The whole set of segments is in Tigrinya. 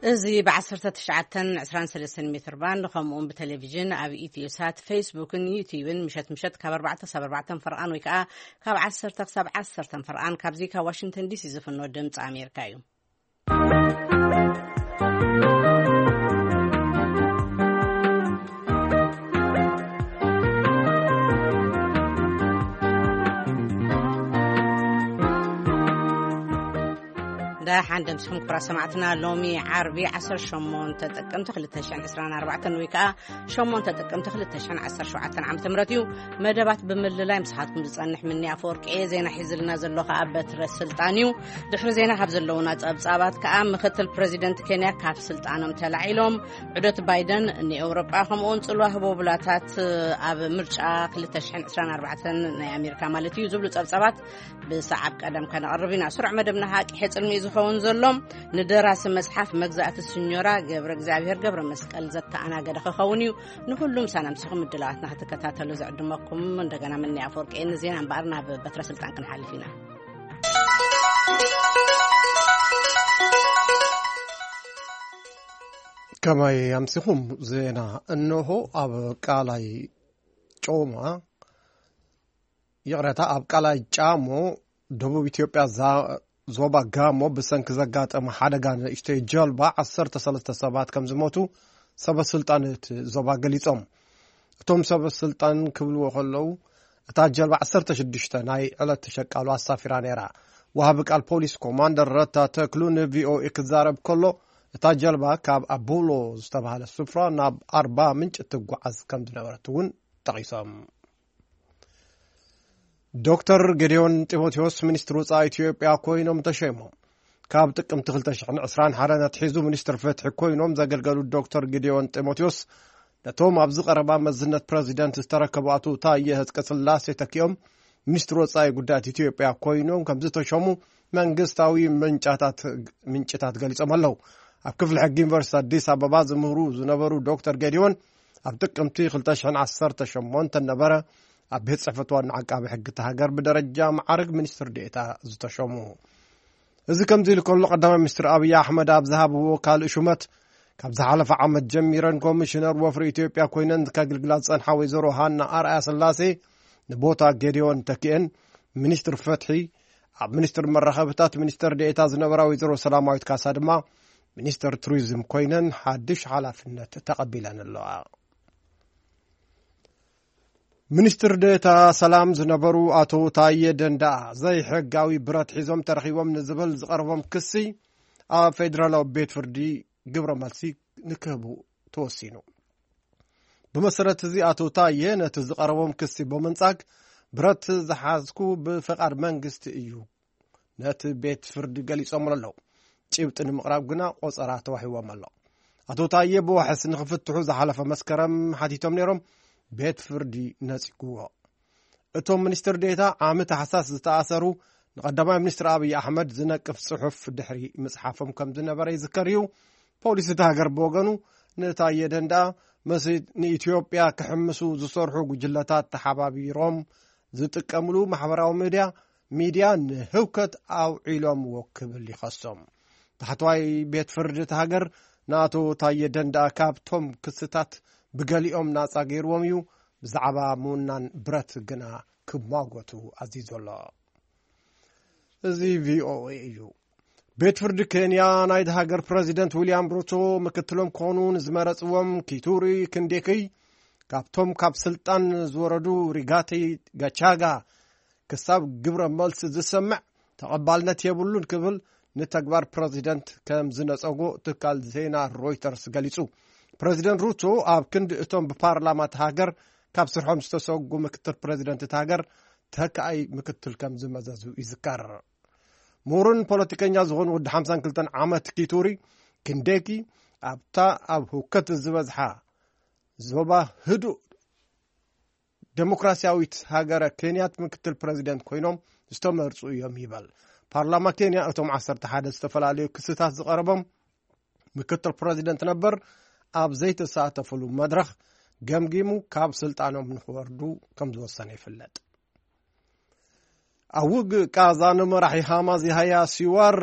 እዚ ብ19 23 ሜትር ባንድ፣ ከምኡውን ብቴሌቪዥን ኣብ ኢትዮ ሳት፣ ፌስቡክን ዩቲዩብን፣ ምሸት ምሸት ካብ ኣርባዕተ ክሳብ ኣርባዕተ ፈርቓን ወይ ከዓ ካብ ዓሰርተ ክሳብ ዓሰርተ ፈርቓን፣ ካብዚ ካብ ዋሽንግተን ዲሲ ዝፍኖ ድምፂ ኣሜሪካ እዩ። ደሓን ደምስኹም ክቡራት ሰማዕትና። ሎሚ ዓርቢ ዓሰርተ ሸሞንተ ጥቅምቲ ክልተ ሽሕን ዕስራን ኣርባዕተን ወይ ከዓ ሸሞንተ ጥቅምቲ ክልተ ሽሕን ዓሰርተ ሸውዓተን ዓመተ ምህረት እዩ። መደባት ብምልላይ ምሳኻትኩም ዝጸንሕ ምኒ ኣፈወርቂ እየ። ዜና ሒዝልና ዘሎ ከዓ በትረ ስልጣን እዩ። ድሕሪ ዜና ካብ ዘለውና ጸብጻባት ከዓ ምክትል ፕሬዚደንት ኬንያ ካብ ስልጣኖም ተላዒሎም፣ ዑደት ባይደን ንኤውሮጳ ከምኡውን ጽልዋ ህቦብላታት ኣብ ምርጫ ክልተ ሽሕን ዕስራን ኣርባዕተን ናይ ኣሜሪካ ማለት እዩ ዝብሉ ጸብጻባት ብሰዓብ ቀደም ከነቕርብ ኢና። ስሩዕ መደብና ሃቂ ሕጽልሚ እዩ ዝኸውን ዘሎ። ንደራሲ መጽሓፍ መግዛእቲ ስኞራ ገብረ እግዚኣብሔር ገብረ መስቀል ዘተኣናገደ ክኸውን እዩ። ንኹሉም ሳናምሲኹም ምድላዋትና ክትከታተሉ ዝዕድመኩም እንደገና ምኒ ኣፈወርቂ እየ። ንዜና እምበኣር ናብ በትረ ስልጣን ክንሓልፍ ኢና። ከመይ ኣምሲኹም? ዜና እንሆ። ኣብ ቃላይ ጮማ፣ ይቕረታ፣ ኣብ ቃላይ ጫሞ፣ ደቡብ ኢትዮጵያ፣ ዛ-፣ ዞባ ጋሞ፣ ብሰንኪ ዘጋጠመ ሓደጋ ንእሽተይ ጀልባ ዓሰርተ ሰለስተ ሰባት ከም ዝሞቱ ሰበ ስልጣን እቲ ዞባ ገሊጾም። እቶም ሰበ ስልጣን ክብልዎ ከለዉ፣ እታ ጀልባ ዓሰርተ ሽዱሽተ ናይ ዕለት ተሸቃሉ ኣሳፊራ ነይራ። ወሃቢ ቃል ፖሊስ ኮማንደር ረታ ተክሉ ንቪኦኤ ክዛረብ ከሎ፣ እታ ጀልባ ካብ ኣቡሎ ዝተባህለ ስፍራ ናብ ኣርባ ምንጭ ትጓዓዝ ከም ዝነበረት እውን ጠቒሶም። ዶክተር ጌዲዮን ጢሞቴዎስ ሚኒስትር ወጻኢ ኢትዮጵያ ኮይኖም ተሸይሞም። ካብ ጥቅምቲ ክልተ ሽሕን ዕስራን ሓደ ኣትሒዙ ሚኒስትር ፍትሒ ኮይኖም ዘገልገሉ ዶክተር ጌዲዮን ጢሞቴዎስ፣ ነቶም ኣብዚ ቀረባ መዝነት ፕረዚደንት ዝተረከቡ ኣቶ ታየ ህዝቀስላሴ ተኪኦም ሚኒስትር ወጻኢ ጉዳያት ኢትዮጵያ ኮይኖም ከም ዝተሸሙ መንግስታዊ ምንጫታት፣ ምንጭታት ገሊጾም ኣለዉ። ኣብ ክፍሊ ሕጊ ዩኒቨርሲቲ ኣዲስ ኣበባ ዝምህሩ ዝነበሩ ዶክተር ጌዲዮን፣ ኣብ ጥቅምቲ ክልተ ሽሕን ዓሰርተ ሸሞንተን ነበረ ኣብ ቤት ጽሕፈት ዋና ዓቃቢ ሕጊ እታ ሃገር ብደረጃ መዓርግ ሚኒስትር ዴኤታ ዝተሸሙ። እዚ ከምዚ ኢሉ ከሎ፣ ቀዳማይ ሚኒስትር ኣብይ ኣሕመድ ኣብ ዝሃብዎ ካልእ ሹመት፣ ካብ ዝሓለፈ ዓመት ጀሚረን ኮሚሽነር ወፍሪ ኢትዮጵያ ኮይነን ከግልግላ ዝጸንሓ ወይዘሮ ሃና ኣርኣያ ስላሴ ንቦታ ጌዲዮን ተኪኤን፣ ሚኒስትር ፍትሒ፣ ኣብ ሚኒስትር መራኸብታት ሚኒስትር ዴኤታ ዝነበራ ወይዘሮ ሰላማዊት ካሳ ድማ ሚኒስትር ቱሪዝም ኮይነን ሓድሽ ሓላፍነት ተቐቢለን ኣለዋ። ሚኒስትር ዴኤታ ሰላም ዝነበሩ ኣቶ ታየ ደንደኣ፣ ዘይሕጋዊ ብረት ሒዞም ተረኺቦም ንዝብል ዝቐረቦም ክሲ ኣብ ፌዴራላዊ ቤት ፍርዲ ግብረ መልሲ ንክህቡ ተወሲኑ። ብመሰረት እዚ፣ ኣቶ ታየ ነቲ ዝቐረቦም ክሲ ብምንጻግ፣ ብረት ዝሓዝኩ ብፈቓድ መንግስቲ እዩ፣ ነቲ ቤት ፍርዲ ገሊጾምሉ ኣለዉ። ጭብጢ ንምቕራብ ግና ቆጸራ ተዋሂቦም ኣሎ። ኣቶ ታየ ብዋሕስ ንኽፍትሑ ዝሓለፈ መስከረም ሓቲቶም ነይሮም፣ ቤት ፍርዲ ነጺግዎ። እቶም ሚኒስትር ዴኤታ ዓሚ ታሕሳስ ዝተኣሰሩ፣ ንቐዳማይ ሚኒስትር ኣብይ ኣሕመድ ዝነቅፍ ጽሑፍ ድሕሪ ምጽሓፎም ከም ዝነበረ ይዝከር እዩ። ፖሊስ እታ ሃገር ብወገኑ፣ ንታየ ደንደኣ ምስ ንኢትዮጵያ ክሕምሱ ዝሰርሑ ጉጅለታት ተሓባቢሮም ዝጥቀምሉ ማሕበራዊ ሚድያ፣ ሚድያ ንህውከት ኣውዒሎምዎ ክብል ይኸሶም። ታሕተዋይ ቤት ፍርዲ እታ ሃገር ንኣቶ ታየ ደንደኣ ካብቶም ክስታት ብገሊኦም ናጻ ገይርዎም እዩ። ብዛዕባ ምውናን ብረት ግና ክማጎቱ ኣዚዙ ኣሎ። እዚ ቪኦኤ እዩ። ቤት ፍርዲ ኬንያ ናይዚ ሃገር ፕረዚደንት ዊልያም ሩቶ ምክትሎም ክኾኑ ንዝመረጽዎም ኪቱሪ ክንዴክይ፣ ካብቶም ካብ ስልጣን ዝወረዱ ሪጋቲ ጋቻጋ ክሳብ ግብረ መልሲ ዝሰምዕ ተቐባልነት የብሉን ክብል ንተግባር ፕረዚደንት ከም ዝነጸጎ ትካል ዜና ሮይተርስ ገሊጹ። ፕረዚደንት ሩቶ ኣብ ክንዲ እቶም ብፓርላማ እታ ሃገር ካብ ስርሖም ዝተሰጉ ምክትል ፕረዚደንት እታ ሃገር ተካኣይ ምክትል ከም ዝመዘዙ ይዝከር። ምሁርን ፖለቲከኛ ዝኾኑ ወዲ ሓምሳን ክልተን ዓመት ኪቱሪ ክንዴኪ፣ ኣብታ ኣብ ህውከት ዝበዝሓ ዞባ ህዱእ ደሞክራሲያዊት ሃገረ ኬንያት ምክትል ፕረዚደንት ኮይኖም ዝተመርጹ እዮም ይበል። ፓርላማ ኬንያ እቶም ዓሰርተ ሓደ ዝተፈላለዩ ክስታት ዝቐረቦም ምክትል ፕረዚደንት ነበር ኣብ ዘይተሳተፍሉ መድረኽ ገምጊሙ ካብ ስልጣኖም ንኽወርዱ ከም ዝወሰነ ይፍለጥ። ኣብ ውግእ ቃዛ ንመራሒ ሃማስ ያህያ ሲዋር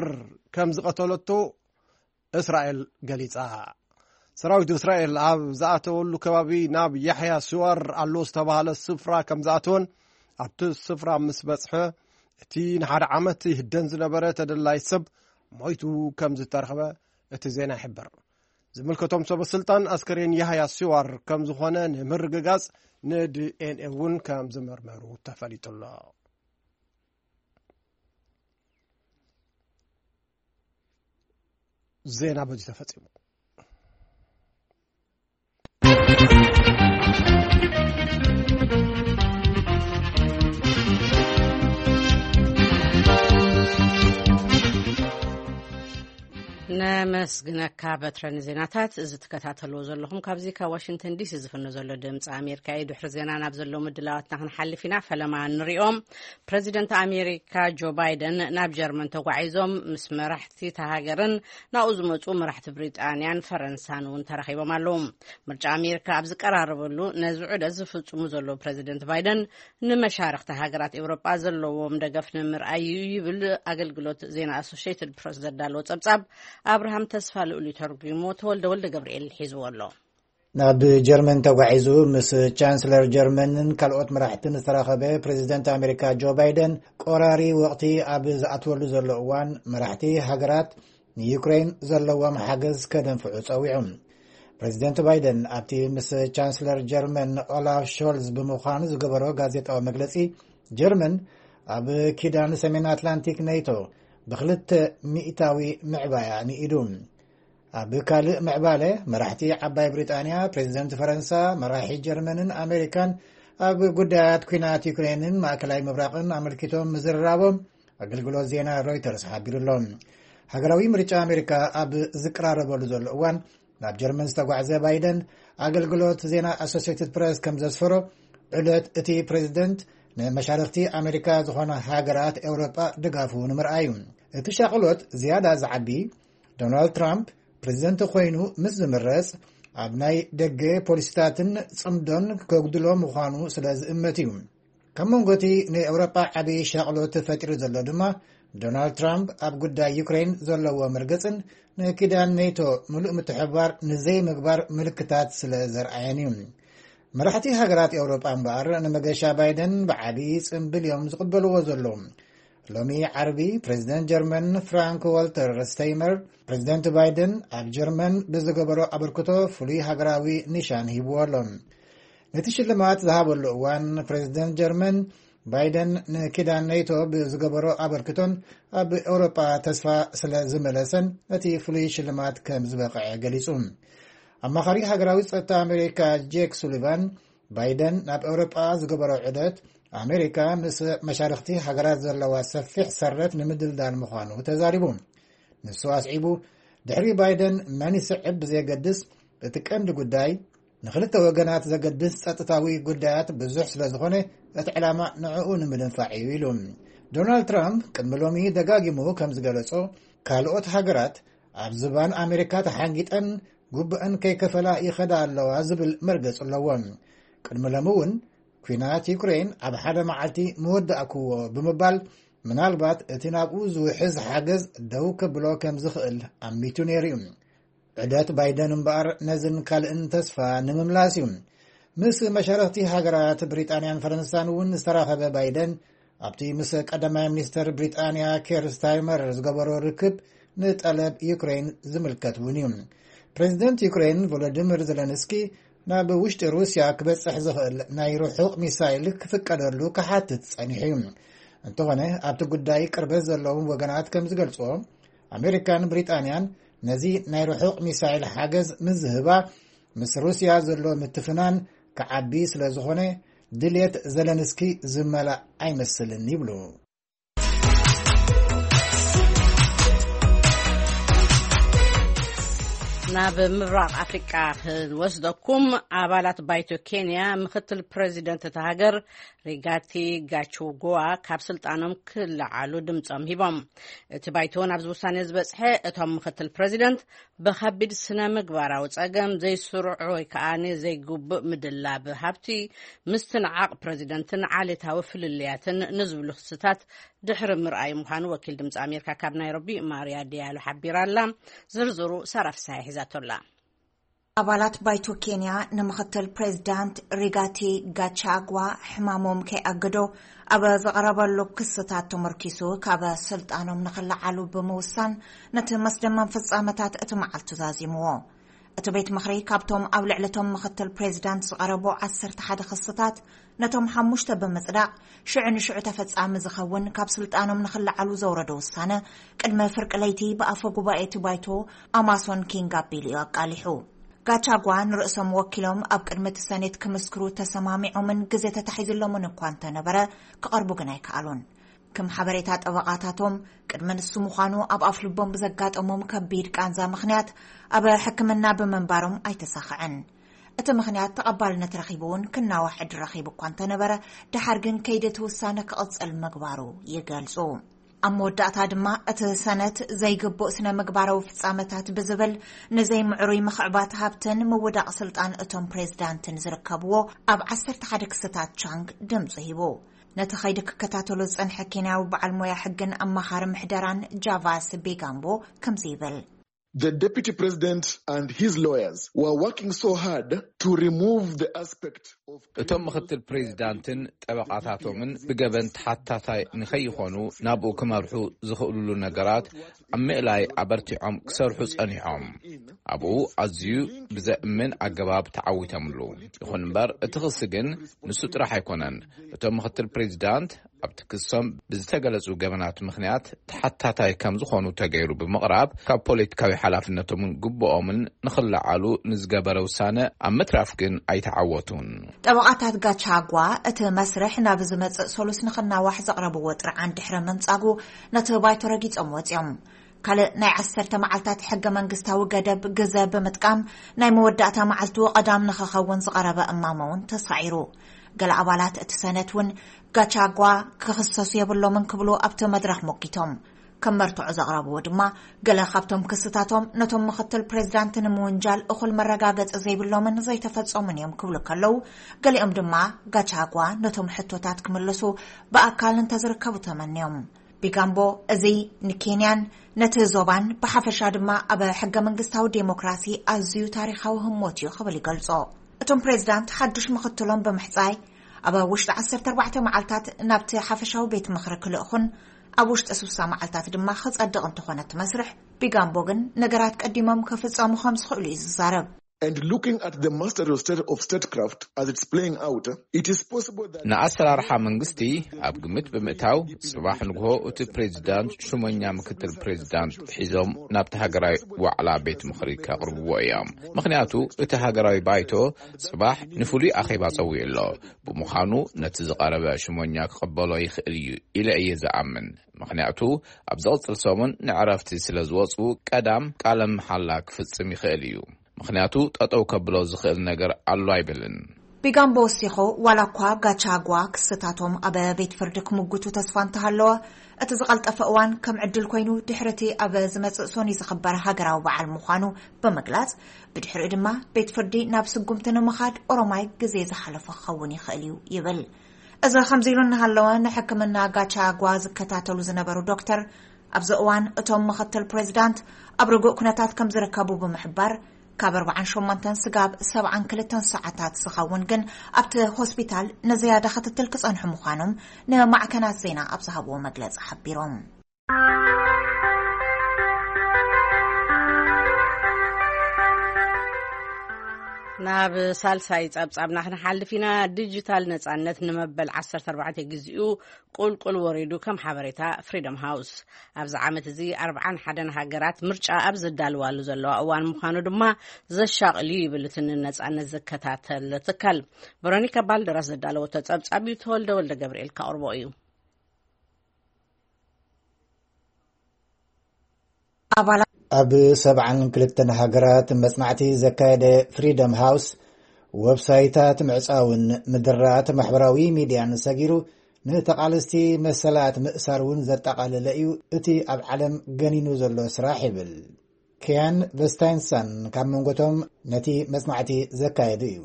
ከም ዝቐተለቶ እስራኤል ገሊጻ። ሰራዊት እስራኤል ኣብ ዝኣተወሉ ከባቢ ናብ ያሕያ ሲዋር ኣሎ ዝተባህለ ስፍራ ከም ዝኣተወን ኣብቲ ስፍራ ምስ በጽሐ እቲ ንሓደ ዓመት ይህደን ዝነበረ ተደላይ ሰብ ሞይቱ ከም ዝተረኽበ እቲ ዜና ይሕብር። ዝምልከቶም ሰበ ስልጣን ኣስከሬን ያህያ ሲዋር ከም ዝኾነ ንምርግጋጽ ንዲኤንኤ እውን ከም ዝመርመሩ ተፈሊጡ ኣሎ። ዜና በዚ ተፈጺሙ። ነመስግነካ በትረ ንዜናታት። እዚ ትከታተልዎ ዘለኹም ካብዚ ካብ ዋሽንግተን ዲሲ ዝፍኖ ዘሎ ድምፂ ኣሜሪካ እዩ። ድሕሪ ዜና ናብ ዘለዉ ምድላዋትና ክንሓልፍ ኢና። ፈለማ ንሪኦም። ፕረዚደንት ኣሜሪካ ጆ ባይደን ናብ ጀርመን ተጓዒዞም ምስ መራሕቲ እታ ሃገርን ናብኡ ዝመፁ መራሕቲ ብሪጣንያን ፈረንሳን እውን ተራኺቦም ኣለዉ። ምርጫ ኣሜሪካ ኣብ ዝቀራረበሉ ነዚ ዑደት ዝፍፅሙ ዘለዉ ፕረዚደንት ባይደን ንመሻርኽቲ ሃገራት ኤውሮጳ ዘለዎም ደገፍ ንምርኣይ እዩ ይብል ኣገልግሎት ዜና ኣሶሽየትድ ፕረስ ዘዳለዎ ጸብጻብ። ኣብርሃም ተስፋ ልኡል እዩ ተርጒሞ፣ ተወልደ ወልደ ገብርኤል ሒዝዎ ኣሎ። ናብ ጀርመን ተጓዒዙ ምስ ቻንስለር ጀርመንን ካልኦት መራሕትን ዝተራኸበ ፕሬዚደንት ኣሜሪካ ጆ ባይደን፣ ቆራሪ ወቕቲ ኣብ ዝኣትወሉ ዘሎ እዋን፣ መራሕቲ ሃገራት ንዩክሬን ዘለዎም ሓገዝ ከደንፍዑ ጸዊዑ። ፕሬዚደንት ባይደን ኣብቲ ምስ ቻንስለር ጀርመን ኦላፍ ሾልዝ ብምዃኑ ዝገበሮ ጋዜጣዊ መግለጺ፣ ጀርመን ኣብ ኪዳን ሰሜን ኣትላንቲክ ኔቶ ብክልተ ሚእታዊ ምዕባያ ንኢዱ። ኣብ ካልእ ምዕባለ፣ መራሕቲ ዓባይ ብሪጣንያ፣ ፕሬዚደንት ፈረንሳ፣ መራሒ ጀርመንን ኣሜሪካን ኣብ ጉዳያት ኲናት ዩክሬንን ማእከላይ ምብራቕን ኣመልኪቶም ምዝርራቦም ኣገልግሎት ዜና ሮይተርስ ሓቢሩ ኣሎ። ሃገራዊ ምርጫ ኣሜሪካ ኣብ ዝቀራረበሉ ዘሎ እዋን፣ ናብ ጀርመን ዝተጓዕዘ ባይደን፣ ኣገልግሎት ዜና ኣሶሲየትድ ፕረስ ከም ዘስፈሮ፣ ዑደት እቲ ፕሬዚደንት ንመሻርኽቲ ኣሜሪካ ዝኾና ሃገራት ኤውሮጳ ድጋፉ ንምርኣይ እዩ። እቲ ሻቕሎት ዝያዳ ዝዓቢ፣ ዶናልድ ትራምፕ ፕሬዚደንት ኮይኑ ምስ ዝምረጽ፣ ኣብ ናይ ደገ ፖሊሲታትን ጽምዶን ከጉድሎ ምዃኑ ስለ ዝእመት እዩ። ካብ መንጎ እቲ ንኤውሮጳ ዓቢ ሻቕሎት ፈጢሩ ዘሎ ድማ፣ ዶናልድ ትራምፕ ኣብ ጉዳይ ዩክሬን ዘለዎ መርገጽን ንኪዳን ኔቶ ምሉእ ምትሕብባር ንዘይምግባር ምልክታት ስለ ዘርኣየን እዩ። መራሕቲ ሃገራት ኤውሮጳ እምበኣር፣ ንመገሻ ባይደን ብዓቢ ጽምብል እዮም ዝቕበልዎ ዘለዉ። ሎሚ ዓርቢ፣ ፕሬዚደንት ጀርመን ፍራንክ ዋልተር ስታይንመየር፣ ፕሬዚደንት ባይደን ኣብ ጀርመን ብዝገበሮ ኣበርክቶ ፍሉይ ሃገራዊ ኒሻን ሂብዎ ኣሎ። ነቲ ሽልማት ዝሃበሉ እዋን፣ ፕሬዚደንት ጀርመን ባይደን ንኪዳን ኔቶ ብዝገበሮ ኣበርክቶን ኣብ ኤውሮጳ ተስፋ ስለ ዝመለሰን፣ ነቲ ፍሉይ ሽልማት ከም ዝበቕዐ ገሊጹ። ኣማኻሪ ሃገራዊ ጸጥታ ኣሜሪካ ጄክ ሱሊቫን፣ ባይደን ናብ ኤውሮጳ ዝገበሮ ዑደት፣ ኣሜሪካ ምስ መሻርኽቲ ሃገራት ዘለዋ ሰፊሕ ሰረት ንምድልዳል ምዃኑ ተዛሪቡ። ንሱ ኣስዒቡ፣ ድሕሪ ባይደን መን ይስዕብ ብዘየገድስ፣ እቲ ቀንዲ ጉዳይ ንኽልተ ወገናት ዘገድስ ጸጥታዊ ጉዳያት ብዙሕ ስለ ዝኾነ፣ እቲ ዕላማ ንዕኡ ንምድንፋዕ እዩ ኢሉ። ዶናልድ ትራምፕ ቅድሚ ሎሚ ደጋጊሙ ከም ዝገለጾ፣ ካልኦት ሃገራት ኣብ ዝባን ኣሜሪካ ተሓንጊጠን ግቡአን ከይከፈላ ይኸዳ ኣለዋ ዝብል መርገጽ ኣለዎ። ቅድሚ ሎሚ እውን፣ ኲናት ዩክሬን ኣብ ሓደ መዓልቲ ምወዳእክዎ ብምባል፣ ምናልባት እቲ ናብኡ ዝውሕዝ ሓገዝ ደው ከብሎ ከም ዝኽእል ኣሚቱ ነይሩ እዩ። ዑደት ባይደን እምበኣር ነዝን ካልእን ተስፋ ንምምላስ እዩ። ምስ መሻርኽቲ ሃገራት ብሪጣንያን ፈረንሳን እውን ዝተራኸበ ባይደን፣ ኣብቲ ምስ ቀዳማይ ሚኒስተር ብሪጣንያ ኬር ስታርመር ዝገበሮ ርክብ፣ ንጠለብ ዩክሬን ዝምልከት እውን እዩ። ፕሬዚደንት ዩክሬን ቮሎዲሚር ዘለንስኪ፣ ናብ ውሽጢ ሩስያ ክበጽሕ ዝኽእል ናይ ርሑቕ ሚሳይል ክፍቀደሉ ክሓትት ጸኒሑ እዩ። እንተኾነ፣ ኣብቲ ጉዳይ ቅርበት ዘለዎም ወገናት ከም ዝገልጽዎ፣ ኣሜሪካን ብሪጣንያን ነዚ ናይ ርሑቕ ሚሳይል ሓገዝ ምስ ዝህባ፣ ምስ ሩስያ ዘሎ ምትፍናን ክዓቢ ስለ ዝኾነ፣ ድልየት ዘለንስኪ ዝመላእ ኣይመስልን ይብሉ። ናብ ምብራቕ ኣፍሪቃ ክንወስደኩም። ኣባላት ባይቶ ኬንያ ምክትል ፕሬዚደንት እታ ሃገር ሪጋቲ ጋቹጎዋ ካብ ስልጣኖም ክለዓሉ ድምጾም ሂቦም። እቲ ባይቶ ናብዚ ውሳኔ ዝበጽሐ እቶም ምክትል ፕሬዚደንት ብከቢድ ስነ ምግባራዊ ጸገም፣ ዘይስሩዕ ወይ ከኣ ዘይግቡእ ምድላብ ሃብቲ፣ ምስትንዓቕ ፕሬዚደንትን ዓሌታዊ ፍልልያትን ንዝብሉ ክስታት ድሕሪ ምርኣይ ምዃኑ ወኪል ድምፂ ኣሜሪካ ካብ ናይሮቢ ማርያ ዲያሎ ሓቢራ ኣላ። ዝርዝሩ ሳራ ፍስሃ ሒዛቶ ኣላ። ኣባላት ባይቶ ኬንያ ንምክትል ፕሬዚዳንት ሪጋቲ ጋቻጓ ሕማሞም ከይኣገዶ ኣብ ዘቕረበሉ ክስታት ተመርኪሱ ካብ ስልጣኖም ንኽለዓሉ ብምውሳን ነቲ መስደመም ፍጻመታት እቲ መዓልቱ ዛዚምዎ። እቲ ቤት ምኽሪ ካብቶም ኣብ ልዕሊ እቶም ምክትል ፕሬዚዳንት ዝቐረቡ ዓሰርተ ሓደ ክስታት ነቶም ሓሙሽተ ብምጽዳቕ ሽዑ ንሽዑ ተፈጻሚ ዝኸውን ካብ ስልጣኖም ንኽለዓሉ ዘውረዶ ውሳነ ቅድሚ ፍርቂ ለይቲ ብኣፈ ጉባኤ እቲ ባይቶ ኣማሶን ኪንግ ኣቢሉ እዩ ኣቃሊሑ። ጋቻጓ ንርእሶም ወኪሎም ኣብ ቅድሚ እቲ ሰኔት ክምስክሩ ተሰማሚዖምን ግዜ ተታሒዝሎምን እኳ እንተነበረ ክቐርቡ ግን ኣይከኣሉን። ከም ሓበሬታ ጠበቓታቶም ቅድሚ ንሱ ምዃኑ ኣብ ኣፍልቦም ብዘጋጠሞም ከቢድ ቃንዛ ምኽንያት ኣብ ሕክምና ብምንባሮም ኣይተሳኽዐን። እቲ ምኽንያት ተቐባልነት ረኺቡ እውን ክናዋሕ ዕድል ረኺቡ እኳ እንተነበረ፣ ድሓር ግን ከይዲ እቲ ውሳነ ክቕጽል ምግባሩ ይገልጹ። ኣብ መወዳእታ ድማ እቲ ሰነት ዘይግቡእ ስነ ምግባራዊ ፍጻመታት ብዝብል ንዘይምዕሩይ ምኽዕባት ሃብትን ምውዳቕ ስልጣን እቶም ፕሬዝዳንትን ዝርከብዎ ኣብ ዓሰርተ ሓደ ክስታት ቻንግ ድምጹ ሂቡ። ነቲ ኸይዲ ክከታተሎ ዝጸንሐ ኬንያዊ በዓል ሞያ ሕግን ኣማኻሪ ምሕደራን ጃቫስ ቤጋምቦ ከምዚ ይብል። The deputy president and his lawyers were working so hard to remove the aspect of እቶም ምክትል ፕሬዚዳንትን ጠበቓታቶምን ብገበን ተሓታታይ ንኸይኾኑ ናብኡ ክመርሑ ዝኽእሉሉ ነገራት ኣብ ምእላይ ኣበርቲዖም ክሰርሑ ጸኒሖም። ኣብኡ ኣዝዩ ብዘእምን ኣገባብ ተዓዊቶምሉ። ይኹን እምበር እቲ ክሲ ግን ንሱ ጥራሕ ኣይኮነን። እቶም ምክትል ፕሬዚዳንት ኣብቲ ክሶም ብዝተገለጹ ገበናት ምኽንያት ተሓታታይ ከም ዝኾኑ ተገይሩ ብምቕራብ ካብ ፖለቲካዊ ሓላፍነቶምን ግቡኦምን ንኽለዓሉ ንዝገበረ ውሳነ ኣብ ምትራፍ ግን ኣይተዓወቱን። ጠበቓታት ጋቻጓ እቲ መስርሕ ናብ ዝመጽእ ሰሉስ ንኽናዋሕ ዘቕረብዎ ጥርዓን ድሕሪ ምንጻጉ ነቲ ባይቶ ረጊጾም ወጺኦም። ካልእ ናይ ዓሰርተ መዓልታት ሕገ መንግስታዊ ገደብ ግዘ ብምጥቃም ናይ መወዳእታ መዓልቱ ቀዳም ንኽኸውን ዝቐረበ እማመ እውን ተሳዒሩ። ገለ ኣባላት እቲ ሰነት እውን ጋቻጓ ክኽሰሱ የብሎምን ክብሉ ኣብቲ መድረኽ ሞጊቶም። ከም መርትዖ ዘቕረብዎ ድማ ገለ ካብቶም ክስታቶም ነቶም ምኽትል ፕሬዚዳንት ንምውንጃል እኹል መረጋገጺ ዘይብሎምን ዘይተፈጸሙን እዮም ክብሉ ከለዉ፣ ገሊኦም ድማ ጋቻጓ ነቶም ሕቶታት ክምልሱ ብኣካል እንተዝርከቡ ተመንዮም። ቢጋምቦ እዚ ንኬንያን ነቲ ዞባን ብሓፈሻ ድማ ኣብ ሕገ መንግስታዊ ዴሞክራሲ ኣዝዩ ታሪኻዊ ህሞት እዩ ክብል ይገልጾ። እቶም ፕሬዚዳንት ሓዱሽ ምኽትሎም ብምሕጻይ ኣብ ውሽጢ ዓሰርተ ኣርባዕተ መዓልታት ናብቲ ሓፈሻዊ ቤት ምኽሪ ክልእኹን ኣብ ውሽጢ ስሳ መዓልታት ድማ ክጸድቕ እንተኾነ እቲ መስርሕ፣ ቢጋምቦ ግን ነገራት ቀዲሞም ክፍጸሙ ከም ዝኽእሉ እዩ ዝዛረብ። And looking at the mastery of state, of statecraft as it's playing out, it is possible that ንኣሰራርሓ መንግስቲ ኣብ ግምት ብምእታው፣ ጽባሕ ንግሆ እቲ ፕሬዚዳንት ሽሞኛ ምክትል ፕሬዚዳንት ሒዞም ናብቲ ሃገራዊ ዋዕላ ቤት ምኽሪ ከቕርብዎ እዮም። ምኽንያቱ እቲ ሃገራዊ ባይቶ ጽባሕ ንፍሉይ ኣኼባ ጸዊዑ ኣሎ። ብምዃኑ ነቲ ዝቐረበ ሽሞኛ ክቕበሎ ይኽእል እዩ ኢለ እየ ዝኣምን። ምኽንያቱ ኣብ ዝቕጽል ሰሙን ንዕረፍቲ ስለ ዝወጹ ቀዳም ቃለ መሓላ ክፍጽም ይኽእል እዩ። ምኽንያቱ ጠጠው ከብሎ ዝኽእል ነገር ኣሎ ኣይብልን። ቢጋምቦ ወሲኹ፣ ዋላ እኳ ጋቻጓ ክስታቶም ኣብ ቤት ፍርዲ ክምጉቱ ተስፋ እንተሃለወ፣ እቲ ዝቐልጠፈ እዋን ከም ዕድል ኮይኑ ድሕሪ እቲ ኣብ ዝመጽእ ሶኒ ዝኽበር ሃገራዊ በዓል ምዃኑ ብምግላጽ፣ ብድሕሪኡ ድማ ቤት ፍርዲ ናብ ስጉምቲ ንምኻድ ኦሮማይ ግዜ ዝሓለፎ ክኸውን ይኽእል እዩ ይብል። እዚ ከምዚ ኢሉ እናሃለወ፣ ንሕክምና ጋቻጓ ዝከታተሉ ዝነበሩ ዶክተር፣ ኣብዚ እዋን እቶም ምኽትል ፕሬዚዳንት ኣብ ርጉእ ኩነታት ከም ዝርከቡ ብምሕባር፣ ካብ ኣርባዓን ሸሞንተን ስጋብ ሰብዓን ክልተን ሰዓታት ዝኸውን ግን ኣብቲ ሆስፒታል ንዝያዳ ክትትል ክጸንሑ ምዃኖም ንማዕከናት ዜና ኣብ ዝሃብዎ መግለጺ ሓቢሮም። ናብ ሳልሳይ ጸብጻብና ክንሓልፍ ኢና። ዲጂታል ነጻነት ንመበል ዓሰርተ ኣርባዕተ ግዜኡ ቁልቁል ወሪዱ፣ ከም ሓበሬታ ፍሪደም ሃውስ። ኣብዚ ዓመት እዚ ኣርብዓን ሓደን ሃገራት ምርጫ ኣብ ዝዳልዋሉ ዘለዋ እዋን ምዃኑ ድማ ዘሻቕል እዩ ይብል እቲ ንነጻነት ዝከታተል ትካል። ቨሮኒካ ባልደራስ ዘዳለወቶ ጸብጻብ እዩ፣ ተወልደ ወልደ ገብርኤል ከቕርቦ እዩ። ኣባላት ኣብ ሰብዓን ክልተን ሃገራት መጽናዕቲ ዘካየደ ፍሪደም ሃውስ፣ ወብሳይታት ምዕጻውን ምድራት ማሕበራዊ ሚድያን ሰጊሩ፣ ንተቓለስቲ መሰላት ምእሳር እውን ዘጠቓለለ እዩ እቲ ኣብ ዓለም ገኒኑ ዘሎ ስራሕ ይብል። ኪያን ቨስታይንሳን ካብ መንጎቶም ነቲ መጽናዕቲ ዘካየዱ እዩ።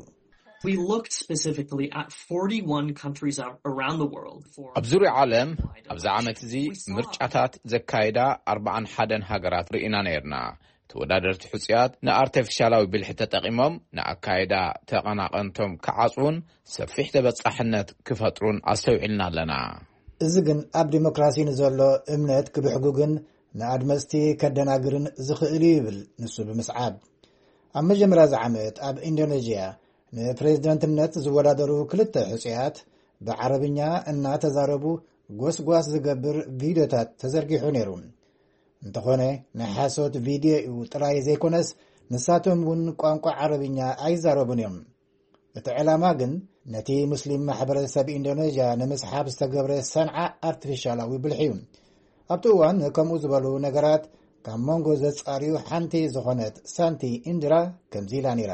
We looked specifically at forty-one countries around the world for ኣብ ዙርያ ዓለም ኣብዚ ዓመት እዚ ምርጫታት ዘካየዳ ኣርባዓን ሓደን ሃገራት ርኢና ነርና። ተወዳደርቲ ሕጹያት ንኣርቲፊሻላዊ ብልሒ ተጠቒሞም ንኣካይዳ ተቐናቐንቶም ክዓጽዉን ሰፊሕ ተበጻሕነት ክፈጥሩን ኣስተውዒልና ኣለና። እዚ ግን ኣብ ዲሞክራሲ ንዘሎ እምነት ክብሕጉግን ንኣድመፅቲ ከደናግርን ዝኽእል እዩ ይብል ንሱ ብምስዓብ። ኣብ መጀመርያ እዚ ዓመት ኣብ ኢንዶኔዥያ ንፕሬዝደንትነት ዝወዳደሩ ክልተ ሕፁያት ብዓረብኛ እናተዛረቡ ጎስጓስ ዝገብር ቪድዮታት ተዘርጊሑ ነይሩ። እንተኾነ ናይ ሓሶት ቪድዮ እዩ ጥራይ ዘይኮነስ ንሳቶም እውን ቋንቋ ዓረብኛ ኣይዛረቡን እዮም። እቲ ዕላማ ግን ነቲ ሙስሊም ማሕበረሰብ ኢንዶኔዥያ ንምስሓብ ዝተገብረ ሰንዓ ኣርቲፊሻላዊ ብልሒ እዩ። ኣብቲ እዋን ከምኡ ዝበሉ ነገራት ካብ መንጎ ዘጻርዩ ሓንቲ ዝኾነት ሳንቲ ኢንድራ ከምዚ ኢላ ነይራ።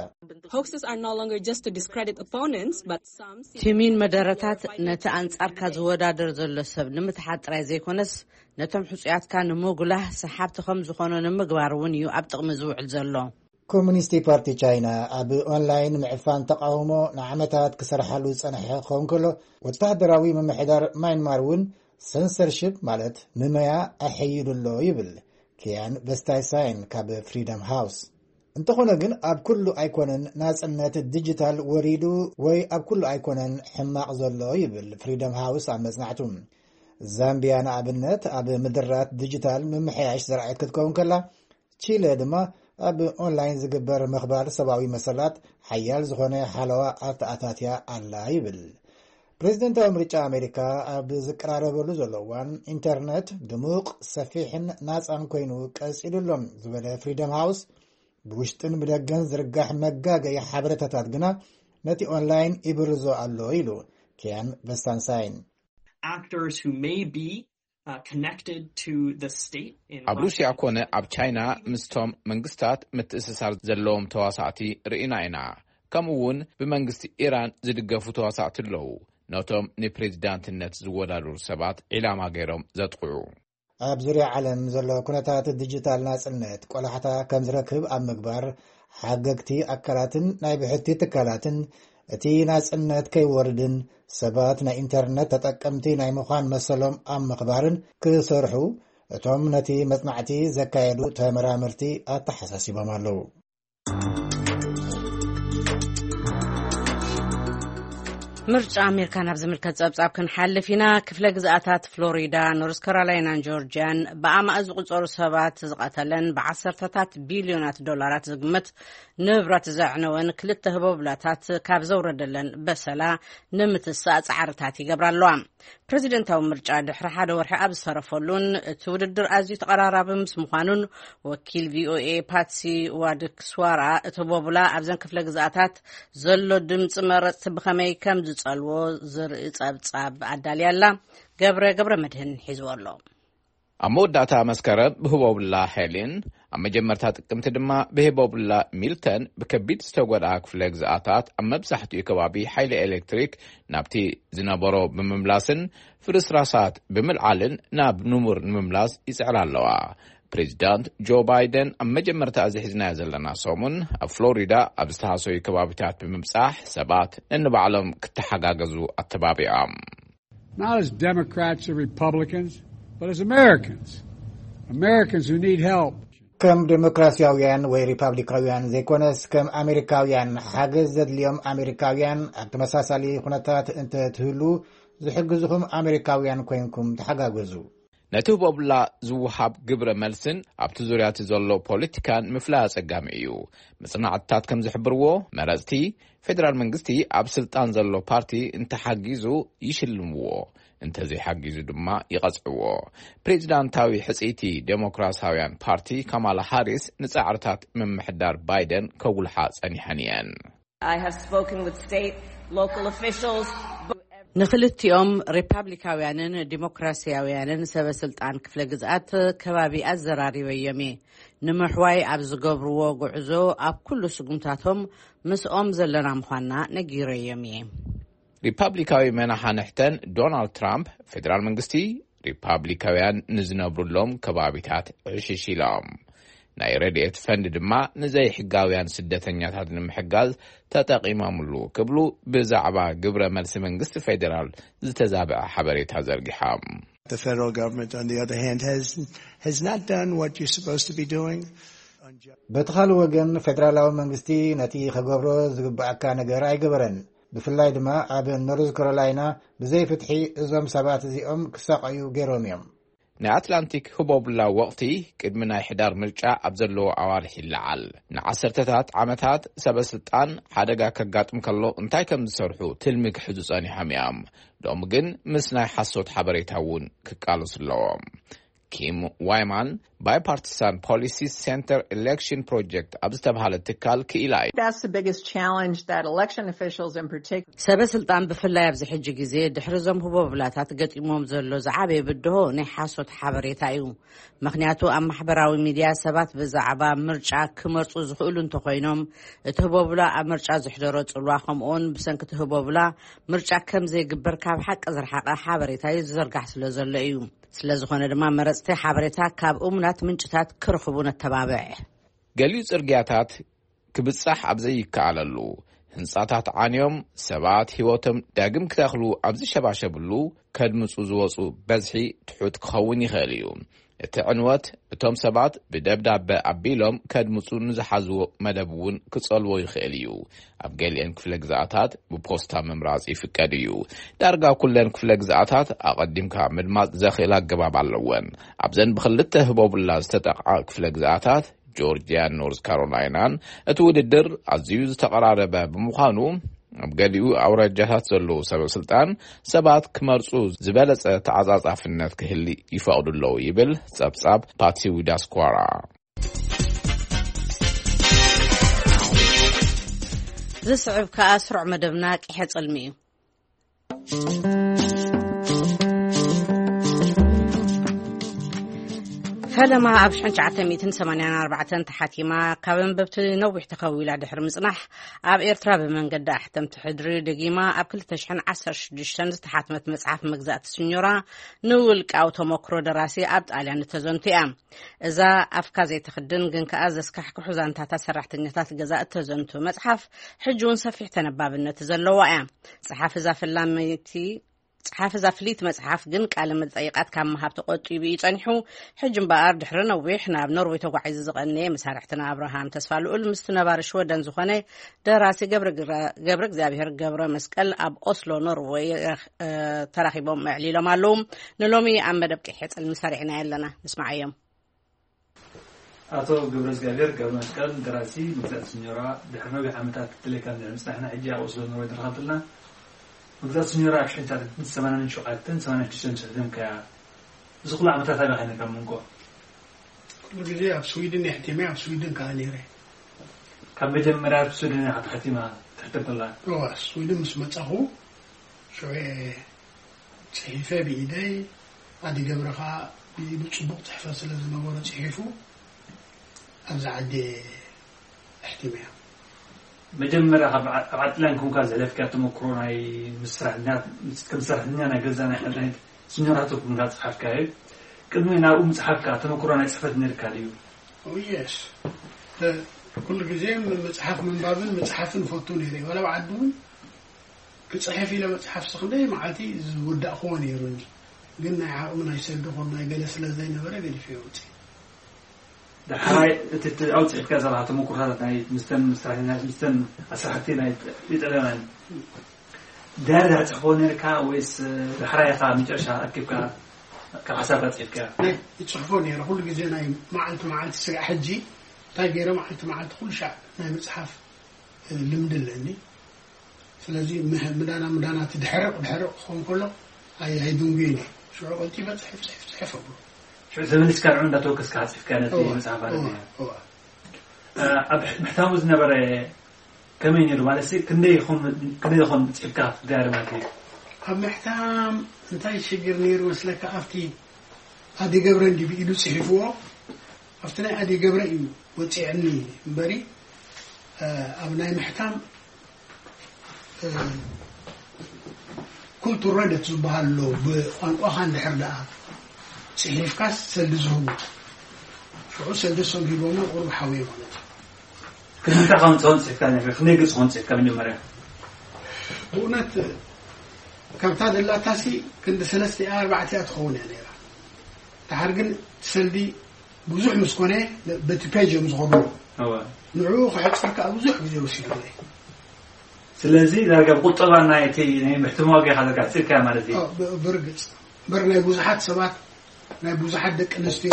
Hoaxes are no longer just to discredit opponents, but some see ቲሚን መደረታት ነቲ ኣንጻርካ ዝወዳደር ዘሎ ሰብ ንምትሓጥ ጥራይ ዘይኮነስ ነቶም ሕጹያትካ ንምጉላህ ሰሓብቲ ከም ዝኾኑ ንምግባር እውን እዩ ኣብ ጥቕሚ ዝውዕል ዘሎ። ኮሙኒስቲ ፓርቲ ቻይና ኣብ ኦንላይን ምዕፋን ተቃውሞ ንዓመታት ክሰርሓሉ ዝጸንሐ ክኸውን ከሎ፣ ወታደራዊ ምምሕዳር ማይንማር እውን ሰንሰርሺፕ ማለት ምመያ ኣሐይሉ ኣሎ ይብል ኪያን ቨስታይሳይን ካብ ፍሪደም ሃውስ። እንተኾነ ግን ኣብ ኩሉ ኣይኮነን ናጽነት ዲጂታል ወሪዱ ወይ ኣብ ኩሉ ኣይኮነን ሕማቕ ዘሎ ይብል ፍሪደም ሃውስ ኣብ መጽናዕቱ። ዛምቢያ ንኣብነት ኣብ ምድራት ዲጂታል ምምሕያሽ ዝረኣየት ክትከውን ከላ፣ ቺለ ድማ ኣብ ኦንላይን ዝግበር ምኽባር ሰብኣዊ መሰላት ሓያል ዝኾነ ሓለዋ ኣተኣታትያ ኣላ ይብል። ፕሬዝደንታዊ ምርጫ ኣሜሪካ ኣብ ዝቀራረበሉ ዘሎ እዋን ኢንተርነት ድሙቕ፣ ሰፊሕን ናጻን ኮይኑ ቀጺሉ ኣሎ ዝበለ ፍሪደም ሃውስ፣ ብውሽጥን ብደገን ዝርጋሕ መጋገይ ሓበሬታታት ግና ነቲ ኦንላይን ይብርዞ ኣሎ ኢሉ ኪያን ቨስታንሳይን። Actors who may be uh, connected to the state in ኣብ ሩስያ ኮነ ኣብ ቻይና ምስቶም መንግስታት ምትእስሳር ዘለዎም ተዋሳእቲ ርኢና ኢና። ከምኡ እውን ብመንግስቲ ኢራን ዝድገፉ ተዋሳእቲ ኣለዉ። ነቶም ንፕሬዚዳንትነት ዝወዳደሩ ሰባት ዒላማ ገይሮም ዘጥቕዑ። ኣብ ዙርያ ዓለም ዘሎ ኩነታት ዲጂታል ናጽነት ቆላሕታ ከም ዝረክብ ኣብ ምግባር፣ ሓገግቲ ኣካላትን ናይ ብሕቲ ትካላትን እቲ ናጽነት ከይወርድን ሰባት ናይ ኢንተርነት ተጠቀምቲ ናይ ምዃን መሰሎም ኣብ ምኽባርን ክሰርሑ እቶም ነቲ መጽናዕቲ ዘካየዱ ተመራመርቲ ኣተሓሳሲቦም ኣለዉ። ምርጫ ኣሜሪካ ናብ ዝምልከት ጸብጻብ ክንሓልፍ ኢና። ክፍለ ግዝኣታት ፍሎሪዳ፣ ኖርዝ ካሮላይናን ጆርጂያን ብኣማእ ዝቑጸሩ ሰባት ዝቐተለን ብዓሰርተታት ቢልዮናት ዶላራት ዝግመት ንብረት ዘዕነወን ክልተ ህቦብላታት ካብ ዘውረደለን በሰላ ንምትሳእ ጻዕርታት ይገብራ ኣለዋ። ፕሬዚደንታዊ ምርጫ ድሕሪ ሓደ ወርሒ ኣብ ዝተረፈሉን እቲ ውድድር ኣዝዩ ተቐራራቢ ምስ ምዃኑን፣ ወኪል ቪኦኤ ፓትሲ ዋድክስዋራ እቲ ቦቡላ ኣብዘን ክፍለ ግዝኣታት ዘሎ ድምፂ መረፅቲ ብኸመይ ከም ዝፀልዎ ዝርኢ ፀብፃብ ኣዳልያ ኣላ። ገብረ ገብረ መድህን ሒዝዎ ኣሎ። ኣብ መወዳእታ መስከረም ብህቦብላ ሄሊን፣ ኣብ መጀመርታ ጥቅምቲ ድማ ብህቦብላ ሚልተን ብከቢድ ዝተጎድኣ ክፍለ ግዝኣታት ኣብ መብዛሕትኡ ከባቢ ሓይሊ ኤሌክትሪክ ናብቲ ዝነበሮ ብምምላስን ፍርስራሳት ብምልዓልን ናብ ንቡር ንምምላስ ይጽዕራ ኣለዋ። ፕሬዚዳንት ጆ ባይደን ኣብ መጀመርታ እዚ ሒዝናዮ ዘለና ሰሙን ኣብ ፍሎሪዳ ኣብ ዝተሃሰዩ ከባቢታት ብምብጻሕ ሰባት ነንባዕሎም ክተሓጋገዙ ኣተባቢዖም። Not as Democrats or Republicans, but as Americans. Americans who need help. ከም ዴሞክራሲያውያን ወይ ሪፓብሊካውያን ዘይኮነስ ከም ኣሜሪካውያን ሓገዝ ዘድልዮም ኣሜሪካውያን ኣብ ተመሳሳሊ ኩነታት እንተ ትህሉ ዝሕግዝኹም ኣሜሪካውያን ኮይንኩም ተሓጋገዙ። ነቲ ህቦብላ ዝወሃብ ግብረ መልስን ኣብቲ ዙርያ እቲ ዘሎ ፖለቲካን ምፍላይ ኣጸጋሚ እዩ። መጽናዕትታት ከም ዝሕብርዎ መረጽቲ ፌደራል መንግስቲ ኣብ ስልጣን ዘሎ ፓርቲ እንተሓጊዙ ይሽልምዎ፣ እንተዘይሓጊዙ ድማ ይቐጽዕዎ። ፕሬዚዳንታዊ ሕጽይቲ ዴሞክራሲያውያን ፓርቲ ካማላ ሃሪስ ንጻዕርታት ምምሕዳር ባይደን ከጉልሓ ጸኒሐን እየን። I have spoken with state, local officials. ንክልቲኦም ሪፓብሊካውያንን ዲሞክራሲያውያንን ሰበ ስልጣን ክፍለ ግዝኣት ከባቢ ኣዘራሪበዮም እየ። ንምሕዋይ ኣብ ዝገብርዎ ጉዕዞ ኣብ ኩሉ ስጉምታቶም ምስኦም ዘለና ምዃንና ነጊረዮም እየ። ሪፓብሊካዊ መናሓንሕተን ዶናልድ ትራምፕ፣ ፌደራል መንግስቲ ሪፓብሊካውያን ንዝነብሩሎም ከባቢታት ዕሽሽ ኢሎም፣ ናይ ረድኤት ፈንድ ድማ ንዘይሕጋውያን ስደተኛታት ንምሕጋዝ ተጠቒሞምሉ ክብሉ ብዛዕባ ግብረ መልሲ መንግስቲ ፌደራል ዝተዛብዐ ሓበሬታ ዘርጊሖም። The federal government, on the other hand, has, has not done what you're supposed to be doing. በቲ ካልእ ወገን፣ ፌደራላዊ መንግስቲ ነቲ ክገብሮ ዝግብኣካ ነገር ኣይገበረን። ብፍላይ ድማ ኣብ ኖርዝ ካሮላይና፣ ብዘይ ፍትሒ እዞም ሰባት እዚኦም ክሳቐዩ ገይሮም እዮም። ናይ ኣትላንቲክ ህቦብላ ወቕቲ ቅድሚ ናይ ሕዳር ምርጫ ኣብ ዘለዎ ኣዋርሕ ይለዓል። ንዓሰርተታት ዓመታት ሰበ ስልጣን ሓደጋ ከጋጥም ከሎ እንታይ ከም ዝሰርሑ ትልሚ ክሕዙ ጸኒሖም እዮም። ሎሚ ግን ምስ ናይ ሓሶት ሓበሬታ እውን ክቃለሱ ኣለዎም። ኪም ዋይማን፣ ባይፓርቲሳን ፖሊሲ ሴንተር ኤሌክሽን ፕሮጀክት ኣብ ዝተባሃለ ትካል ክኢላ እዩ። That's the biggest challenge that election officials in particular ሰበ ስልጣን ብፍላይ ኣብዚ ሕጂ ግዜ ድሕሪ እዞም ህቦብላታት ገጢሞም ዘሎ ዝዓበየ ብድሆ ናይ ሓሶት ሓበሬታ እዩ። ምኽንያቱ ኣብ ማሕበራዊ ሚድያ ሰባት ብዛዕባ ምርጫ ክመርጹ ዝኽእሉ እንተኾይኖም፣ እቲ ህቦብላ ኣብ ምርጫ ዝሕደሮ ጽልዋ፣ ከምኡውን ብሰንኪ እቲ ህቦብላ ምርጫ ከም ዘይግበር ካብ ሓቂ ዝረሓቐ ሓበሬታ እዩ ዝዝርጋሕ ስለ ዘሎ እዩ። ስለ ዝኾነ ድማ መረጽቲ ሓበሬታ ካብ እሙናት ምንጭታት ክረኽቡ ነተባብዕ። ገሊኡ ጽርግያታት ክብጻሕ ኣብ ዘይከኣለሉ፣ ህንጻታት ዓንዮም ሰባት ህይወቶም ዳግም ክተኽሉ ኣብ ዝሸባሸብሉ፣ ከድምጹ ዝወጹ በዝሒ ትሑት ክኸውን ይኽእል እዩ። እቲ ዕንወት እቶም ሰባት ብደብዳበ ኣቢሎም ከድምጹ ንዝሓዝዎ መደብ እውን ክጸልዎ ይኽእል እዩ። ኣብ ገሊአን ክፍለ ግዝኣታት ብፖስታ ምምራጽ ይፍቀድ እዩ። ዳርጋ ኩለን ክፍለ ግዝኣታት ኣቐዲምካ ምድማጽ ዘኽእል ኣገባብ ኣለወን። ኣብዘን ብክልተ ህቦብላ ዝተጠቕዓ ክፍለ ግዝኣታት፣ ጆርጅያን ኖርዝ ካሮላይናን፣ እቲ ውድድር ኣዝዩ ዝተቐራረበ ብምዃኑ፣ ኣብ ገሊኡ ኣውራጃታት ዘለዉ ሰበ ስልጣን ሰባት ክመርጹ ዝበለጸ ተዓጻጻፍነት ክህሊ ይፈቕዱ ኣለዉ ይብል ጸብጻብ ፓትሲ ዊዳስኳራ። ዝስዕብ ከኣ ስሩዕ መደብና ቂሐ ጽልሚ እዩ። ፈለማ ኣብ ሽሕን ትሽዓተ ሚእትን ሰማንያን ኣርባዕተን ተሓቲማ፣ ካብ ኣንበብቲ ነዊሕ ተኸዊላ ድሕሪ ምጽናሕ፣ ኣብ ኤርትራ ብመንገዲ ኣሕተምቲ ሕድሪ ደጊማ ኣብ ክልተ ሽሕን ዓሰርተ ሽዱሽተን ዝተሓትመት መጽሓፍ መግዛእቲ ስኞራ፣ ንውልቃዊ ተመክሮ ደራሲ ኣብ ጣልያን እተዘንቱ እያ። እዛ ኣፍካ ዘይትኽድን ግን ከኣ ዘስካሕክሑ ዛንታታት ሰራሕተኛታት ገዛ እተዘንቱ መጽሓፍ፣ ሕጂ እውን ሰፊሕ ተነባብነት ዘለዋ እያ። ጸሓፊ እዛ ፈላመይቲ ጸሓፊ እዛ ፍልይቲ መጽሓፍ ግን ቃለ መጠይቓት ካብ ምሃብ ተቖጢቡ እዩ ጸኒሑ። ሕጂ እምበኣር ድሕሪ ነዊሕ ናብ ኖርወይ ተጓዒዙ ዝቐነየ መሳርሕትና ኣብርሃም ተስፋ ልኡል ምስቲ ነባሪ ሽወደን ዝኾነ ደራሲ ገብረ ግራ-፣ ገብረ እግዚኣብሔር ገብረ መስቀል ኣብ ኦስሎ ኖርወይ ረኽ-፣ እ፣ ተራኺቦም ኣዕሊሎም ኣለዉ። ንሎሚ ኣብ መደብ ቂሕ ጽልሚ ሰሪዕና ኣለና። ንስማዓዮም። ኣቶ ገብረእግዚኣብሔር ገብረመስቀል፣ ደራሲ መግዛእቲ ስኞራ፣ ድሕሪ ነዊሕ ዓመታት ክትለካ እንድሕር ምጽናሕና፣ ሕጂ ኣብ ኦስሎ ኖርወይ ትረኸብትና። መግዛእቲ ስኞራ ኣብ ሽሕን ትሽዓተ ሚእትን ሰማንያን ሸውዓተን ሰማንያን ሽዱሽተን ጽሒፍካያ። እዚ ኩሉ ዓመታት ኣበይ ኸይንካ መንጎ? ኩሉ ግዜ ኣብ ስዊድን እየ ሕቲመ፣ ኣብ ስዊድን ከኣ ነይረ። ካብ መጀመርያ ኣብ ስዊድን እያ ተሓቲማ ትሕተም ከላ? እዋ፣ ስዊድን ምስ መጻኹ ሽዑ እየ ጽሒፈ ብኢደይ፣ ኣዲ ገብረ ኸኣ ብኢዱ ጽቡቕ ጽሕፈት ስለ ዝነበሮ ጽሒፉ ኣብዛ ዓዲ ኣሕቲመያ። መጀመርያ ካብ ዓ-፣ ኣብ ዓጥላን ኮንካ ዘሕለፍካዮ ተመክሮ ናይ ምስ ሰራሕተኛ፣ ምስ፣ ከም ሰራሕተኛ ናይ ገዛ ናይ፣ ናይ ስኞራቶ ኮንካ ዝጸሓፍካዮ፣ ቅድሚ ናብኡ ምጽሓፍካ ተመክሮ ናይ ጽሕፈት ነይርካ ድዩ? ኦ፣ የስ። እ፣ ኩሉ ግዜ ም-፣ መጽሓፍ ምንባብን ምጽሓፍን እፈቱ ነይረ። ዋላ ኣብ ዓዲ እውን ክጽሕፍ ኢለ መጽሓፍሲ ክንደይ መዓልቲ ዝወዳእክዎ ነይሩኒ። ግን ናይ ዓቕሚ ናይ ሰብ ድኹን ናይ ገለ ስለ ዘይነበረ ገዲፈዮ ወጺኤ። ዳሕራይ እቲ፣ እቲ ኣውጺእካ ዘለኻ ተመኩሮታት ናይ ምስተን፣ ምስተን ኣስራሕቲ ናይ ኢጣልያውያን ዳርጋ ትጽሕፎ ነርካ ወይስ ዳሕራይ ኢኻ መጨረሻ ኣኪብካ ካብ ሓሳብካ ጽሒፍካ? ናይ እጽሕፎ ነይረ። ኩሉ ግዜ ናይ መዓልቲ መዓልቲ ስጋዕ ሕጂ እንታይ ገይረ መዓልቲ መዓልቲ ኩሉ ሻዕ ናይ ምጽሓፍ ልምዲ ኣለኒ። ስለዚ ምህ-፣ ምዳና ምዳና እቲ ድሕርቕ ድሕርቕ ክኸውን ከሎ ኣይ-፣ ኣይድንጉይን እየ። ሽዑ ቀልጢፈ ጽሒፍ፣ ጽሒፍ፣ ጽሒፍ ኣብሎ። ሽዑ ተመሊስካ ንዑ እንዳተወከስካ ጽሒፍካ ነቲ እዋ፣ መጽሓፍ ማለት እዋ፣ እዩ። እዋ። እ፣ ኣብ ምሕታሙ ዝነበረ ከመይ ነይሩ? ማለት ሲ፣ ክንደይ ይኹን፣ ክንደይ ይኹን ጽሒፍካ ክትጋር ማለት እዩ? ኣብ ምሕታም እንታይ ሽግር ነይሩ መስለካ? ኣብቲ ኣዲ ገብረ እንዲ ብኢዱ ጽሒፍዎ፣ ኣብቲ ናይ ኣደይ ገብረ እዩ ወፂዕኒ እምበሪ ኣብ ናይ ምሕታም ኩልቱር ረደት ዝበሃል ኣሎ። ብቋንቋኻ እንድሕር ደኣ ፅሒፍካስ ሰልዲ ዝህቡ ሽዑ ሰልዲ ሶም ሂቦሞ ቁሩብ ሓውየ ማለት እዩ። ክምንታይ ከምፅሆን ፅሒፍካ ክንደይ ገፅ ኾን ፅሒፍካ መጀመርያ? ብእውነት ካብታ ዘላታሲ ክንዲ ሰለስተ ኣርባዕተ እያ ትኸውን እያ ነይራ። ድሓር ግን ሰልዲ ብዙሕ ምስ ኮነ በቲ ፔጅ እዮም ዝኸዱ። ንዕኡ ክሕፅር ከዓ ብዙሕ ግዜ ወሲዱለይ። ስለዚ ዳርጋ ብቁጠባ ናይቲ ናይ ምሕትም ዋጋ ኢኻ ዳርጋ ሕፂርካ ማለት እዩ። ብርግፅ እምበር ናይ ብዙሓት ሰባት ናይ ብዙሓት ደቂ ኣንስትዮ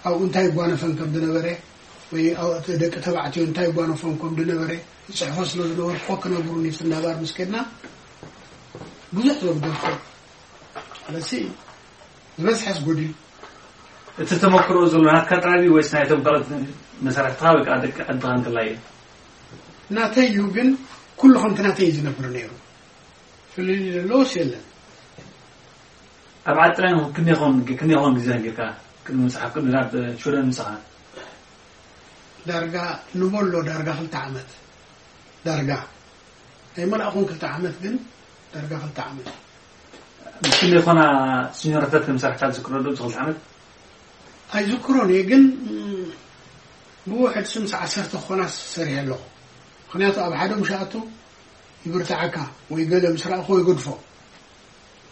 ኣብኡ እንታይ ይጓነፈን ከም ዝነበረ ወይ ደቂ ተባዕትዮ እንታይ ይጓነፎም ከም ዝነበረ ይፅሕፎ ስለ ዝነበርኩ ክነግሩኒ ፍናባር ምስ ከድና ብዙሕ ዘጉደልኩ ኣለሲ ዝበዝሐስ ጎዲሉ። እቲ ተመክሮ ዘሎ ናትካ ጥራይ ወይስ ናይቶም ካልኦት መሳርሕትኻ ወይ ከዓ ደቂ ዓድኻ እንከላይ እዩ? ናተይ እዩ፣ ግን ኩሉ ከምቲ ናተይ እዩ ዝነብር ነይሩ። ፍልልይ ዘለዎስ የለን። ኣብ ዓጥራን ክንደይኾን ክንደይኾን ግዜ ነጊርካ ቅድሚ መፅሓፍ ቅዱስ ናብ ሽወደን ምሳኻ? ዳርጋ ንበሎ ዳርጋ ክልተ ዓመት ዳርጋ ኣይመልኣኹን ክልተ ዓመት ግን ዳርጋ ክልተ ዓመት። ምስ ክንደይ ኾና ሲኒዮራታት ከም ሰራሕካ ትዝክሮ ዶ? ክልተ ዓመት ኣይዝክሮን እየ፣ ግን ብውሕድ ስምስ ዓሰርተ ክኾና ሰሪሐ ኣለኹ። ምክንያቱ ኣብ ሓደ ምሻኣቱ ይብርትዓካ ወይ ገለ ምስ ረኣኹ ይገድፎ።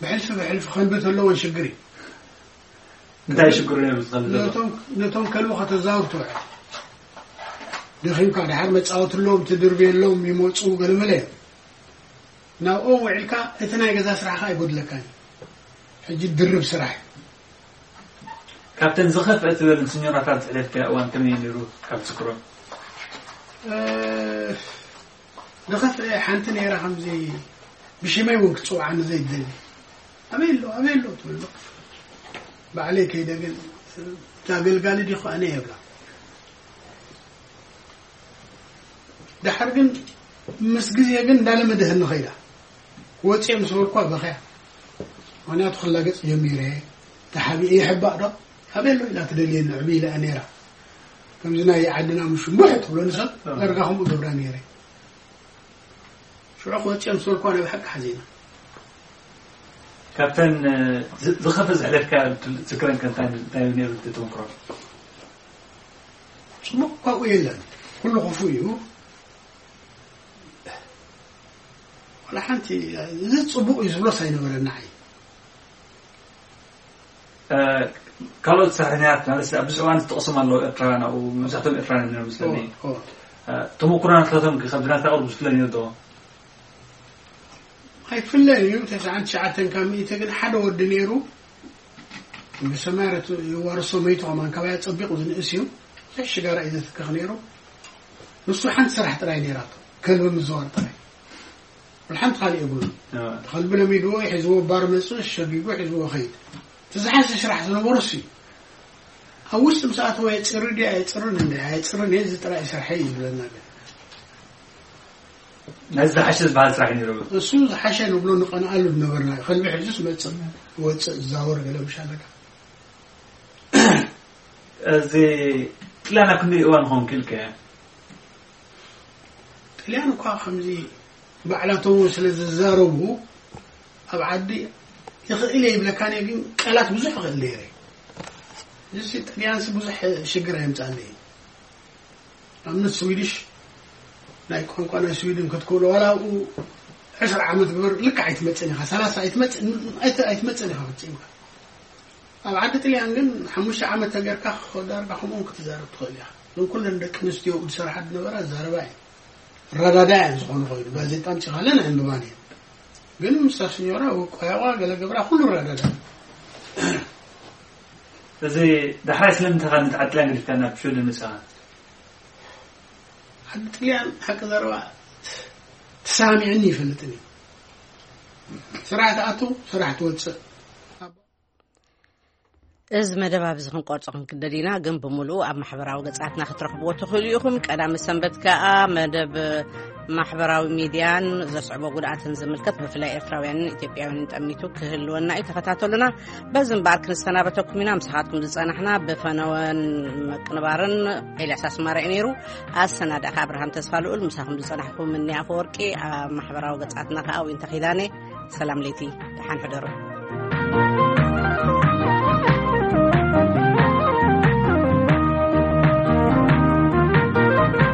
ብሕልፊ ብሕልፊ ከልቢ ተለዎን ሽግር እዩ። እንታይ ሽግሩ ነይሩ ዝኸልቢ ዘሎ? ነቶም ከልቢ ከተዛውር ትውዕል። ደኺምካ ድሓር መፃወትሎም ትድርብየሎም ይመፁ ገለመለ እዮም። ናብኦም ውዒልካ እቲ ናይ ገዛ ስራሕኻ ኣይጎድለካን እዩ። ሕጂ ድርብ ስራሕ እዩ። ካብተን ዝኸፍአ ትበል ስኞራታት ዝሕለፍካዮ እዋን ከመይ ነይሩ ካብ ትዝክሮ? ዝኸፍአ ሓንቲ ነይራ ከምዚ ብሽመይ እውን ክትፅውዓኒ ዘይደሊ ኣበይ ኣሎ ኣበይ ኣሎ ትብሎ ባዕለይ ከይደ ግን እዛ ኣገልጋሊ ዲኹ ኣነ የብላ ድሓር ግን ምስ ግዜ ግን እንዳለመደህኒ ኸይዳ ክወፅኦ ምስ በልኳ በኸያ ምክንያቱ ክላገፅ ጀሚረ ተሓቢኤ ይሕባእ ዶ ኣበይ ኣሎ ኢላ ትደልየኒ ዕብይ ኢላ ነይራ ከምዚ ናይ ዓድና ምሽ ቡሕ ትብሎ ንሰብ ዳርጋ ከምኡ ገብራ ነይረ ሽዑ ክወፅኦ ምስ በልኳ ናይ ብሓቂ ሓዚና ካብተን ዝኸፈ ዘሕለፍካ ዝክረን ከንታ እንታይ ነይሩ ተመክሮ ፅቡቅ ካብኡ የለን ኩሉ ክፉእ እዩ ዋላ ሓንቲ እዚ ፅቡቅ እዩ ዝብሎስ ኣይነበረና ዓይ ካልኦት ሰራሕተኛታት ማለት ኣብ ብዙሕ እዋን ዝጠቕሶም ኣለዉ ኤርትራውያን ኣብኡ መብዛሕትኦም ኤርትራውያን ነይሮም መስለኒ ተሞክሮ ናትካቶም ካብ ናትካ ቅርብ ዝፍለ ነይሩ ዶ ኣይፍለን እዩ ተስዓን ትሽዓተን ካብ ሚእቲ ግን ሓደ ወዲ ነይሩ ብሰማያት የዋርሶ መይቱ ከማን ካባያ ፀቢቑ ዝንእስ እዩ ብዙሕ ሽጋራ እዩ ዘትክኽ ነይሩ ንሱ ሓንቲ ስራሕ ጥራይ ነይራቶ ከልቢ ምዝዋር ጥራይ ሓንቲ ካልእ የብሉ ተኸልቢ ለሚድዎ ሒዝዎ ባር መፅእ ሸጊጉ ሒዝዎ ኸይድ እቲ ዝሓሸ ስራሕ ዝነበሮ እሱ እዩ ኣብ ውሽጢ ምስ ኣተወ የፅሪ ድዩ ኣየፅርን እንደ ኣየፅርን እየ እዚ ጥራይ ስርሐይ እዩ ዝብለና ግን ነዚ ዝሓሸ ዝበሃል ስራሕ ነይሩ እሱ ዝሓሸ ንብሎ ንቐንኣሉ ዝነበርና እዩ ከልቢ ሕዙስ መፅእ ወፅእ ዝዛወር ገለ ምሽ ኣለካ እዚ ጥልያን ኣብ ክንደይ እዋን ክኸውን ክኢልከ ጥልያን እኳ ከምዚ ባዕላቶም እውን ስለ ዝዛረቡ ኣብ ዓዲ ይኽእል እየ ይብለካ ነየ ግን ቃላት ብዙሕ ይኽእል ነይረ እዚ ጥልያንሲ ብዙሕ ሽግር ኣየምፃለይ ኣብነት ስዊድሽ ናይ ቋንቋ ናይ ስዊድን ክትክእሎ ዋላ ኣብኡ ዕስራ ዓመት ግበር ልክዕ ኣይትመፅን ኢኻ ሰላሳ ኣይትመፅን ኢኻ ፈፂምካ ኣብ ዓዲ ጥልያን ግን ሓሙሽተ ዓመት ተገርካ ዳርጋ ከምኡን ክትዛረብ ትኽእል ኢኻ ግን ኩለን ደቂ ኣንስትዮ ዝሰርሓ ዝነበራ ዛረባ እየን ረዳዳ እየን ዝኾነ ኮይኑ ጋዜጣ ኣምፂኻለን ኣንብባን እየን ግን ምስታ ስኞራ ቆያቋ ገለ ገብራ ኩሉ ረዳዳ እዚ ዳሕራይ ስለምንታይ ካብ ንትዓጥላ ገዲፍካ ናብ ሽወደን መጻኻ ዓዲ ጥልያን ሓቂ ዘረባ ተሳሚዕኒ ይፈልጥን እዩ ስራሕ ትኣቱ ስራሕ ትወፅእ እዚ መደብ ኣብዚ ክንቆርጾ ክንክደድ ኢና ግን ብምሉኡ ኣብ ማሕበራዊ ገጻትና ክትረኽብዎ ትኽእሉ ኢኹም ቀዳመ ሰንበት ከኣ መደብ ማሕበራዊ ሚድያን ዘስዕቦ ጉድኣትን ዝምልከት ብፍላይ ኤርትራውያንን ኢትዮጵያውያንን ጠሚቱ ክህልወና እዩ። ተኸታተሉና። በዚ እምበኣር ክንሰናበተኩም ኢና። ምሳኻትኩም ዝጸናሕና ብፈነወን ምቅንባርን ኤልያስ ኣስማረ እዩ ነይሩ። ኣሰናዳእካ ኣብርሃም ተስፋ ልኡል፣ ምሳኹም ዝጸናሕኩም እኒ ኣፈወርቂ፣ ኣብ ማሕበራዊ ገጻትና ከኣ ዊንታ ኪዳነ። ሰላም ለይቲ፣ ደሓን ሕደሩ።